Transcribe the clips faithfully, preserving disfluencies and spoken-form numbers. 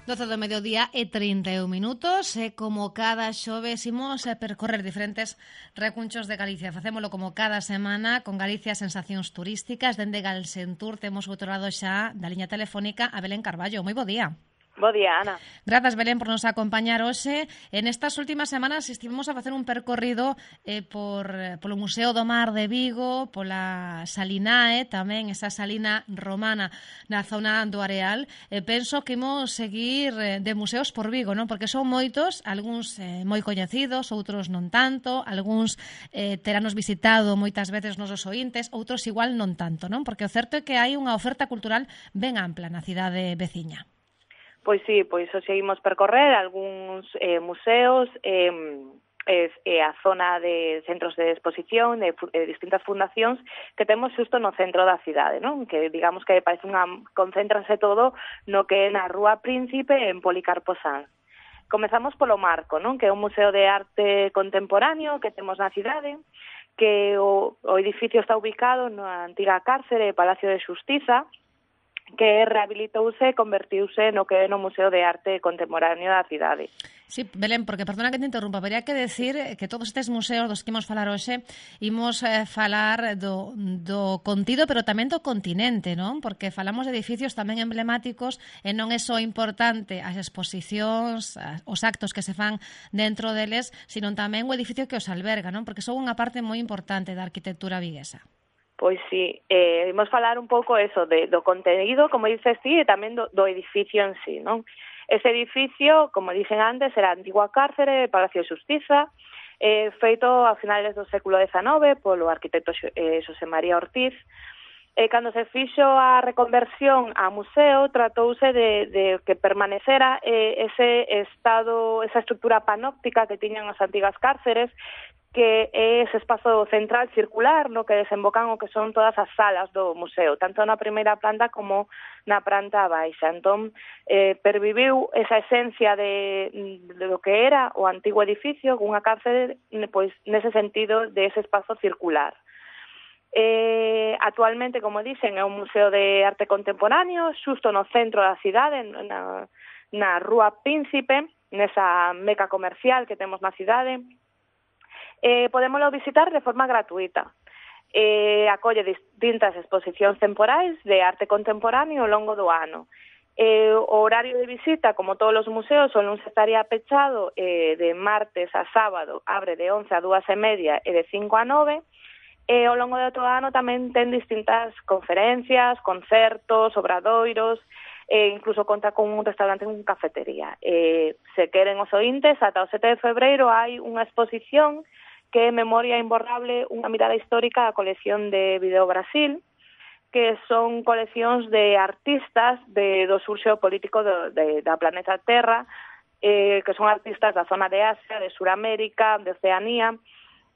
doce do mediodía e trinta e un minutos, e como cada xoves imos a percorrer diferentes recunchos de Galicia. Facémolo como cada semana con Galicia Sensacións Turísticas. Dende Galsentur temos outro lado xa da liña telefónica a Belén Carballo. Moi bo día. Bo día, Ana. Grazas, Belén, por nos acompañar hoxe. En estas últimas semanas estivemos a facer un percorrido eh, por polo Museo do Mar de Vigo, pola Salinae, tamén esa salina romana na zona do Areal. E penso que imos seguir eh, de museos por Vigo, non? Porque son moitos, algúns eh, moi coñecidos, outros non tanto, algúns eh, teranos visitado moitas veces nos os oíntes, outros igual non tanto, non? Porque o certo é que hai unha oferta cultural ben ampla na cidade veciña. Pois sí, pois o seguimos percorrer algúns eh, museos e eh, eh, a zona de centros de exposición de, de distintas fundacións que temos xusto no centro da cidade, non? Que digamos que parece unha concéntrase todo no que é na Rúa Príncipe en Policarpo Sanz. Comezamos polo Marco, non? Que é un museo de arte contemporáneo que temos na cidade, que o, o edificio está ubicado na antiga cárcere Palacio de Xustiza, que rehabilitouse e convertiuse no que é no Museo de Arte Contemporáneo da cidade. Sí, Belén, porque, perdona que te interrumpa, habería que decir que todos estes museos dos que imos falar hoxe imos eh, falar do, do contido, pero tamén do continente, non? Porque falamos de edificios tamén emblemáticos e non é só importante as exposicións, os actos que se fan dentro deles, sino tamén o edificio que os alberga, non? Porque son unha parte moi importante da arquitectura viguesa. Pois sí, eh, imos falar un pouco eso de, do contenido, como dices ti, e tamén do, do edificio en sí, non? Ese edificio, como dixen antes, era a antigua cárcere, Palacio de Xustiza, eh, feito a finales do século dezenove polo arquitecto eh, Xosé María Ortiz. E cando se fixo a reconversión a museo, tratouse de, de que permanecera eh, ese estado, esa estructura panóptica que tiñan as antigas cárceres, que é ese espazo central circular no que desembocan o que son todas as salas do museo, tanto na primeira planta como na planta baixa. Entón, eh, perviviu esa esencia de, de lo que era o antigo edificio, unha cárcere, pois, nese sentido de ese espazo circular. Eh, actualmente, como dicen, é un museo de arte contemporáneo, xusto no centro da cidade, na, na Rúa Príncipe, nesa meca comercial que temos na cidade. Eh, podémoslo visitar de forma gratuita. Eh, acolle distintas exposicións temporais de arte contemporáneo ao longo do ano. Eh, o horario de visita, como todos os museos, o luns estaría pechado eh, de martes a sábado, abre de once a dúas e media e de cinco a nove, e ao longo de todo o ano tamén ten distintas conferencias, concertos, obradoiros, e incluso conta con un restaurante e unha cafetería. Eh, se queren os oíntes, ata o sete de febreiro hai unha exposición que é Memoria Imborrable, unha mirada histórica á colección de Video Brasil, que son coleccións de artistas de, do sur xeopolítico do, de, da planeta Terra, eh, que son artistas da zona de Asia, de Suramérica, de Oceanía,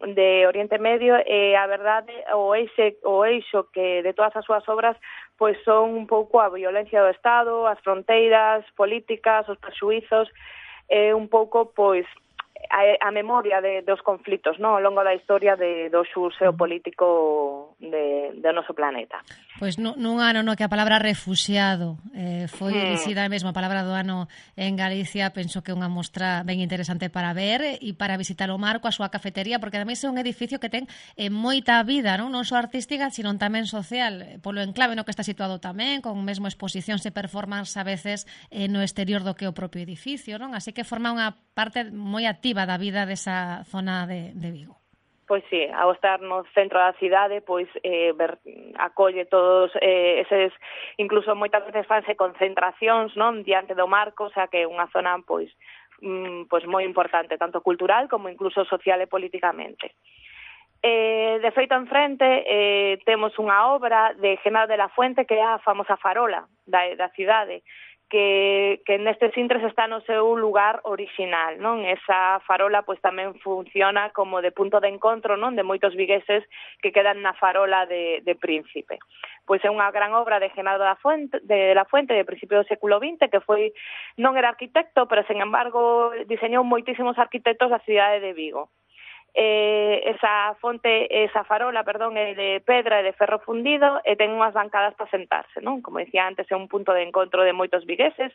de Oriente Medio, e a verdade, o eixe, o eixo que de todas as súas obras pois son un pouco a violencia do Estado, as fronteiras políticas, os prexuizos, e un pouco pois a, a memoria de, dos conflitos, no, ao longo da historia de, do sur xeopolítico de, do noso planeta. Pois nun ano no que a palabra refuxiado eh, foi elixida mesmo a palabra do ano en Galicia, penso que é unha mostra ben interesante para ver e para visitar o Marco, a súa cafetería, porque ademais é un edificio que ten eh, moita vida, non, non só artística, sino tamén social, polo enclave no que está situado tamén, con mesmo exposicións e performance a veces eh, no exterior do que o propio edificio, non? Así que forma unha parte moi activa da vida desa zona de, de Vigo. Pois sí, ao estar no centro da cidade, pois eh, ver, acolle todos eh, eses, incluso moitas veces fanse concentracións, non, diante do Marco, o sea que é unha zona pois mm, pois moi importante, tanto cultural como incluso social e políticamente. Eh, de feito, en frente, eh, temos unha obra de Genaro de la Fuente, que é a famosa farola da, da cidade, que, que nestes intres está no seu lugar orixinal, non? Esa farola pois tamén funciona como de punto de encontro, non? De moitos vigueses que quedan na farola de, de Príncipe. Pois é unha gran obra de Genaro da Fuente, de la Fuente de principio do século vinte, que foi, non era arquitecto, pero, sen embargo, diseñou moitísimos arquitectos da cidade de Vigo. Eh, esa fonte, esa farola, perdón, é de pedra e de ferro fundido e ten unhas bancadas para sentarse, non? Como dicía antes, é un punto de encontro de moitos vigueses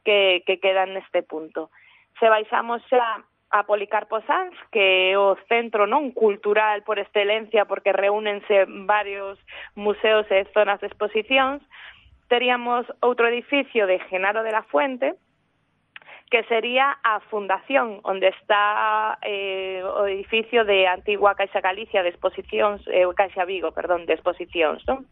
que, que quedan neste punto. Se baixamos xa a Policarpo Sanz, que é o centro non cultural por excelencia, porque reúnense varios museos e zonas de exposicións, teríamos outro edificio de Genaro de la Fuente, que sería a fundación, onde está eh, o edificio de antigua Caixa Galicia de exposicións, eh, Caixa Vigo, perdón, de exposicións, non?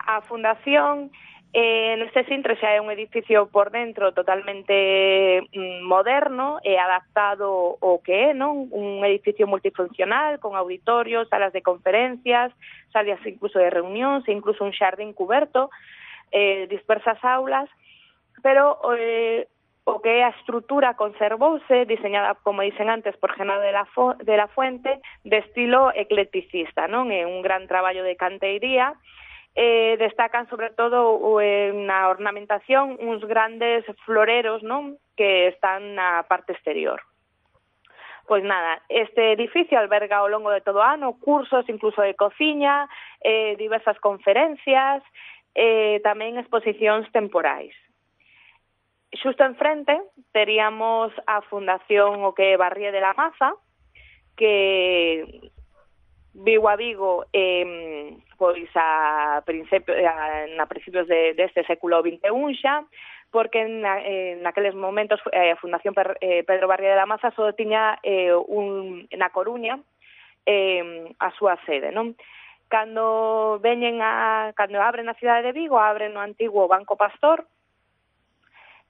A fundación, eh, neste centro xa é un edificio por dentro totalmente mm, moderno e adaptado ao que é, non? Un edificio multifuncional con auditorios, salas de conferencias, salas incluso de reunións e incluso un xardín cuberto, eh, dispersas aulas, pero eh, o que é a estrutura conservouse, diseñada, como dicen antes, por Genaro de la, Fo- de la Fuente, de estilo eclecticista, non? É un gran traballo de canteiría. Eh, destacan, sobre todo, eh, na ornamentación, uns grandes floreros, non? Que están na parte exterior. Pois nada, este edificio alberga ao longo de todo o ano cursos, incluso de cociña, eh, diversas conferencias, eh, tamén exposicións temporais. Xusto enfrente teríamos a Fundación o que é Barrie de la Maza, que Vigo a Vigo eh, pois a principio, a, na principios de, deste século vinte e un xa, porque na, eh, naqueles momentos eh, a Fundación per, eh, Pedro Barrie de la Maza só tiña eh, un, na Coruña eh, a súa sede, non? Cando veñen a, cando abren a cidade de Vigo, abren o antigo Banco Pastor.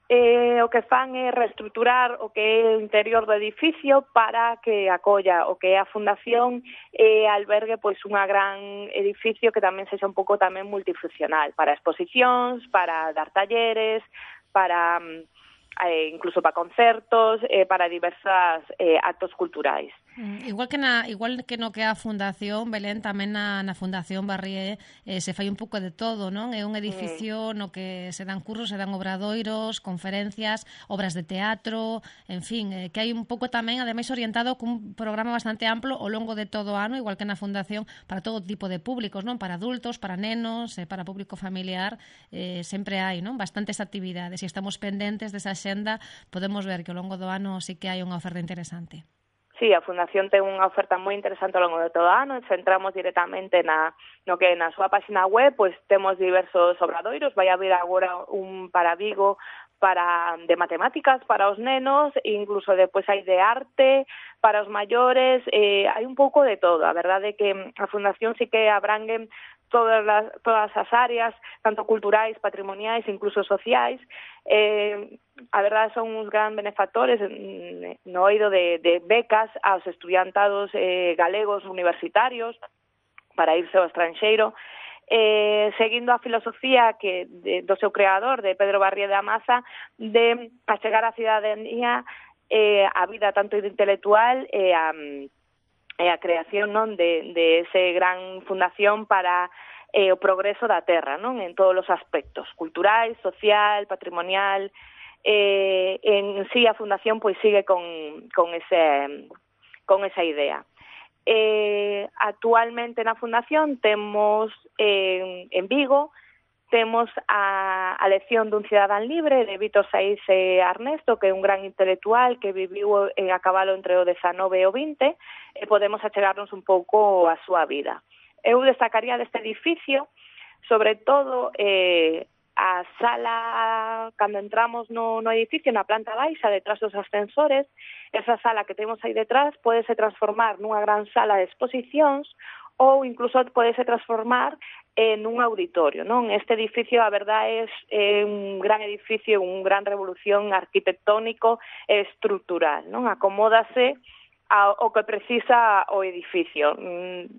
Eh, o que fan é reestruturar o que é o interior do edificio para que acolla o que é a fundación e albergue pois unha gran edificio que tamén sexa un pouco tamén multifuncional para exposicións, para dar talleres, para eh, incluso para concertos, eh, para diversas eh, actos culturais. Mm, igual que na igual que no que a Fundación Belén, tamén na, na Fundación Barrie eh, se fai un pouco de todo, non? É un edificio mm. no que se dan cursos, se dan obradoiros, conferencias, obras de teatro, en fin, eh, que hai un pouco tamén ademais orientado cun programa bastante amplo ao longo de todo o ano, igual que na Fundación, para todo tipo de públicos, non? Para adultos, para nenos, eh, para público familiar, eh, sempre hai, non? Bastantes actividades e estamos pendentes desa xenda, podemos ver que ao longo do ano sí que hai unha oferta interesante. Sí, a Fundación ten unha oferta moi interesante ao longo de todo o ano, centramos directamente na no que na súa página web, pois temos diversos obradoiros, vai haber agora un para Vigo para de matemáticas para os nenos, incluso depois hai de arte para os maiores, eh, hai un pouco de todo. A verdade é que a Fundación sí que abrangue todas as, todas as áreas, tanto culturais, patrimoniais, incluso sociais. Eh, a verdade son uns gran benefactores no oído de, de becas aos estudiantados eh, galegos universitarios para irse ao estranxeiro, eh, seguindo a filosofía que de, do seu creador, de Pedro Barrie de la Maza, de achegar a cidadanía eh, a vida tanto intelectual e eh, a e a creación non de, de ese gran fundación para eh, o progreso da terra, non? En todos os aspectos, culturais, social, patrimonial. Eh, en sí a fundación pois sigue con, con, ese, con esa idea. Eh, actualmente na fundación temos eh, en Vigo temos a, a lección dun cidadán libre de Vítor Saiz e Arnesto, que é un gran intelectual que viviu eh, a cabalo entre o dezanove e o vinte, e podemos achegarnos un pouco a súa vida. Eu destacaría deste edificio, sobre todo, eh, a sala, cando entramos no, no edificio, na planta baixa, detrás dos ascensores, esa sala que temos aí detrás podese transformar nunha gran sala de exposicións ou incluso podese transformar en un auditorio, non? Este edificio, a verdade, é un gran edificio, un gran revolución arquitectónico e estrutural, non? Acomódase ao que precisa o edificio,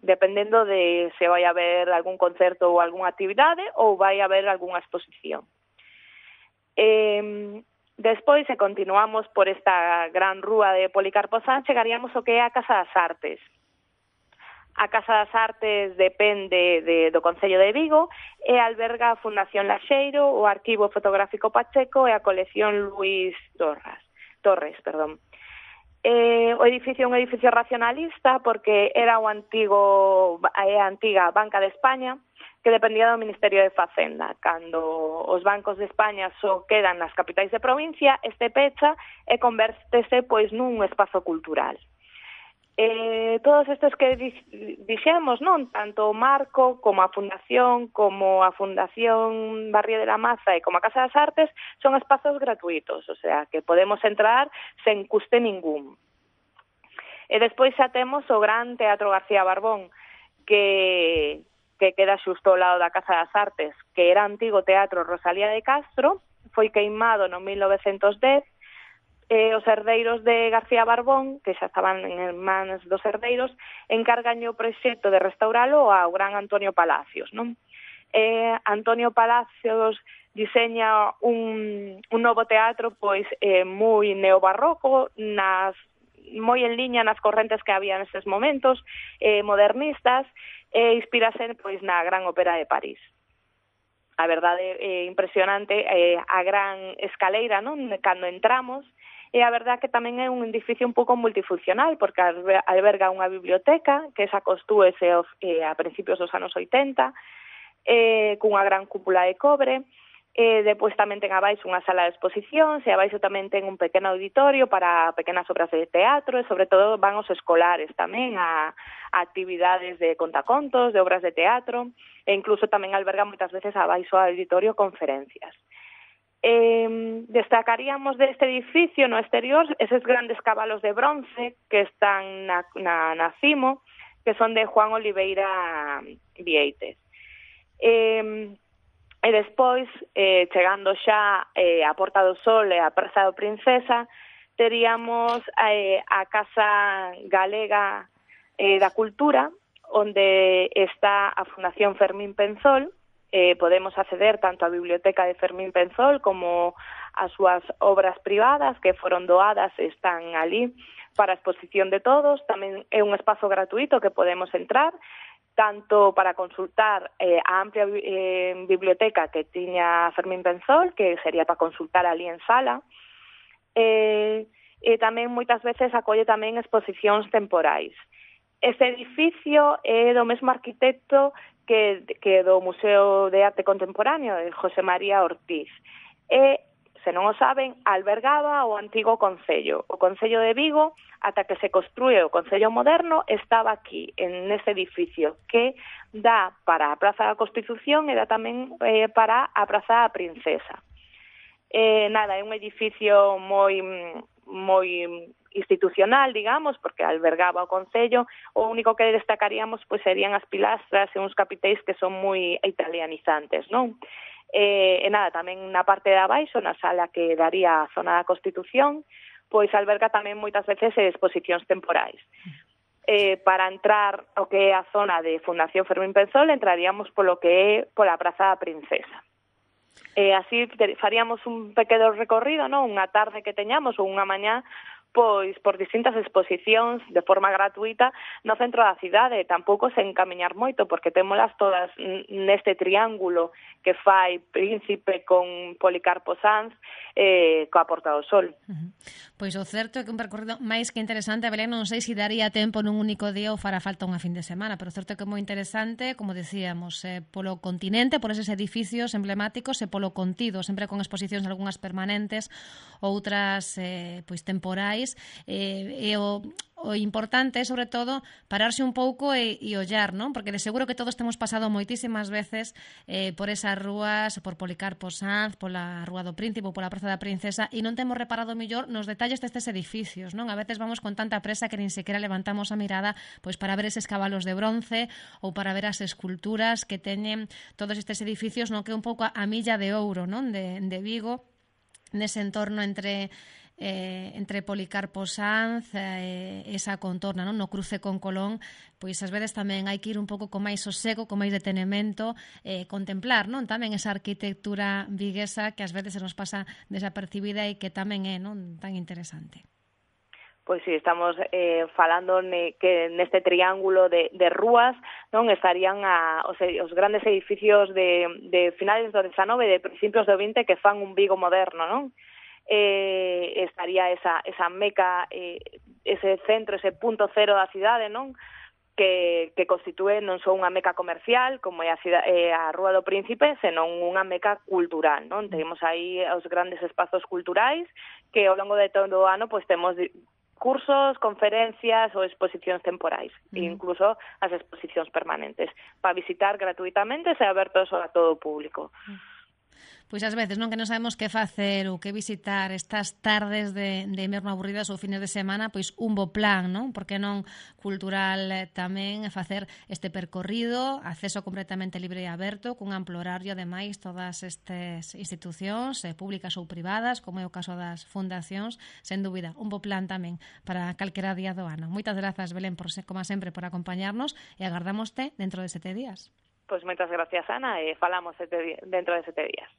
dependendo de se vai haber algún concerto ou algunha actividade ou vai haber algunha exposición. Eh, despois, se continuamos por esta gran rúa de Policarpo Sanz, chegaríamos ao que é a Casa das Artes. A Casa das Artes depende de, do Concello de Vigo e alberga a Fundación Laxeiro, o Arquivo Fotográfico Pacheco e a colección Luís Torres. Torres, perdón. Eh, o edificio é un edificio racionalista porque era o antigo, a antiga Banca de España, que dependía do Ministerio de Facenda. Cando os bancos de España só quedan nas capitais de provincia, este pecha e convértese pois nun espazo cultural. Eh, todos estes que dixemos, non, tanto o Marco como a Fundación, como a Fundación Barrio de la Maza e como a Casa das Artes, son espazos gratuitos, o sea, que podemos entrar sen custe ningún. E despois xa temos o Gran Teatro García Barbón, que que queda xusto ao lado da Casa das Artes, que era antigo Teatro Rosalía de Castro, foi queimado no mil novecentos dez, e os herdeiros de García Barbón, que xa estaban en mans dos herdeiros, encargan o proxecto de restauralo ao gran Antonio Palacios, non? Eh, Antonio Palacios diseña un, un novo teatro pois eh, moi neobarroco, nas moi en liña nas correntes que había neses momentos, eh, modernistas, e inspirase pois na Gran Ópera de París. A verdade é impresionante eh, a gran escaleira, non, cando entramos, e a verdade que tamén é un edificio un pouco multifuncional, porque alberga unha biblioteca, que esa costúese eh, a principios dos anos oitenta, eh, cunha gran cúpula de cobre. E depois tamén ten abaixo unha sala de exposicións e abaixo tamén ten un pequeno auditorio para pequenas obras de teatro e sobre todo van os escolares tamén a, a actividades de contacontos, de obras de teatro e incluso tamén alberga moitas veces abaixo ao auditorio conferencias. Eh, destacaríamos deste edificio no exterior eses grandes cabalos de bronce que están na, na, na cimo, que son de Juan Oliveira Vieites. Eh, E despois, eh, chegando xa eh, a Porta do Sol e a Praza da Princesa, teríamos eh, a Casa Galega eh, da Cultura, onde está a Fundación Fermín Penzol. Eh, podemos acceder tanto á biblioteca de Fermín Penzol como as súas obras privadas que foron doadas e están ali para a exposición de todos. Tamén é un espazo gratuito que podemos entrar, tanto para consultar eh, a amplia eh, biblioteca que tiña Fermín Penzol, que sería para consultar ali en sala, eh, e tamén moitas veces acolle tamén exposicións temporais. Este edificio é do mesmo arquitecto que, que do Museo de Arte Contemporáneo, de José María Ortiz. E, se non o saben, albergaba o antigo Concello. O Concello de Vigo, ata que se construe o Concello moderno, estaba aquí, en ese edificio, que dá para a Praza da Constitución e dá tamén eh, para a Praza da Princesa. Eh, nada, é un edificio moi moi institucional, digamos, porque albergaba o Concello. O único que destacaríamos pois serían as pilastras e uns capitéis que son moi italianizantes, non? E, e nada, tamén na parte de abaixo, na sala que daría a zona da Constitución, pois alberga tamén moitas veces exposicións temporais. Eh, para entrar ao que é a zona de Fundación Fermín Penzol, entraríamos polo que é pola Praza da Princesa. E así faríamos un pequeno recorrido, non? Unha tarde que teñamos ou unha mañá, pois por distintas exposicións de forma gratuita no centro da cidade, tampouco sen camiñar moito, porque témolas todas neste triángulo que fai Príncipe con Policarpo Sanz eh, coa Porta do Sol. Uh-huh. Pois o certo é que un percorrido máis que interesante, Belén, non sei se daría tempo nun único día ou fará falta unha fin de semana, pero o certo é que é moi interesante, como decíamos, eh, polo continente, por eses edificios emblemáticos e polo contido, sempre con exposicións algunhas permanentes, outras eh, pois temporais. E, e o, o importante é, sobre todo, pararse un pouco e, e ollar, non? Porque de seguro que todos temos pasado moitísimas veces eh, por esas rúas, por Policarpo Sanz, pola Rúa do Príncipe ou pola Praza da Princesa, e non temos reparado mellor nos detalles destes edificios, non? A veces vamos con tanta presa que nin sequera levantamos a mirada pois para ver eses cabalos de bronce ou para ver as esculturas que teñen todos estes edificios, non? Que é un pouco a milla de ouro, non? De, de Vigo, nese entorno entre eh, entre Policarpo Sanz e eh, esa contorna, non? No cruce con Colón, pois ás veces tamén hai que ir un pouco con máis sosego, con máis detenemento, eh, contemplar, non? Tamén esa arquitectura viguesa que ás veces se nos pasa desapercibida e que tamén é, non, tan interesante. Pois si, sí, estamos eh, falando ne, que neste triángulo de, de rúas, non, estarían a, os, os grandes edificios de, de finales do dezanove e de principios do vinte que fan un Vigo moderno, non? Eh, estaría esa, esa meca eh, ese centro, ese punto cero da cidade, non? Que, que constitúe non só unha meca comercial como é a, cidade, eh, a Rúa do Príncipe, senón unha meca cultural, non? Temos aí os grandes espazos culturais que ao longo de todo o ano pois temos cursos, conferencias ou exposicións temporais, mm. e incluso as exposicións permanentes, para visitar gratuitamente, se abertos a todo o público. Mm. Pois ás veces non que non sabemos que facer ou que visitar estas tardes de, de inverno aburridas ou fines de semana, pois un bo plan, non? Porque non cultural tamén facer este percorrido, acceso completamente libre e aberto, cun amplo horario, ademais, todas estas institucións, eh, públicas ou privadas, como é o caso das fundacións, sen dúbida, un bo plan tamén para calquera día do ano. Moitas grazas, Belén, por, como sempre, por acompañarnos e agardámoste dentro de sete días. Pois moitas gracias, Ana, e falamos sete, dentro de sete días.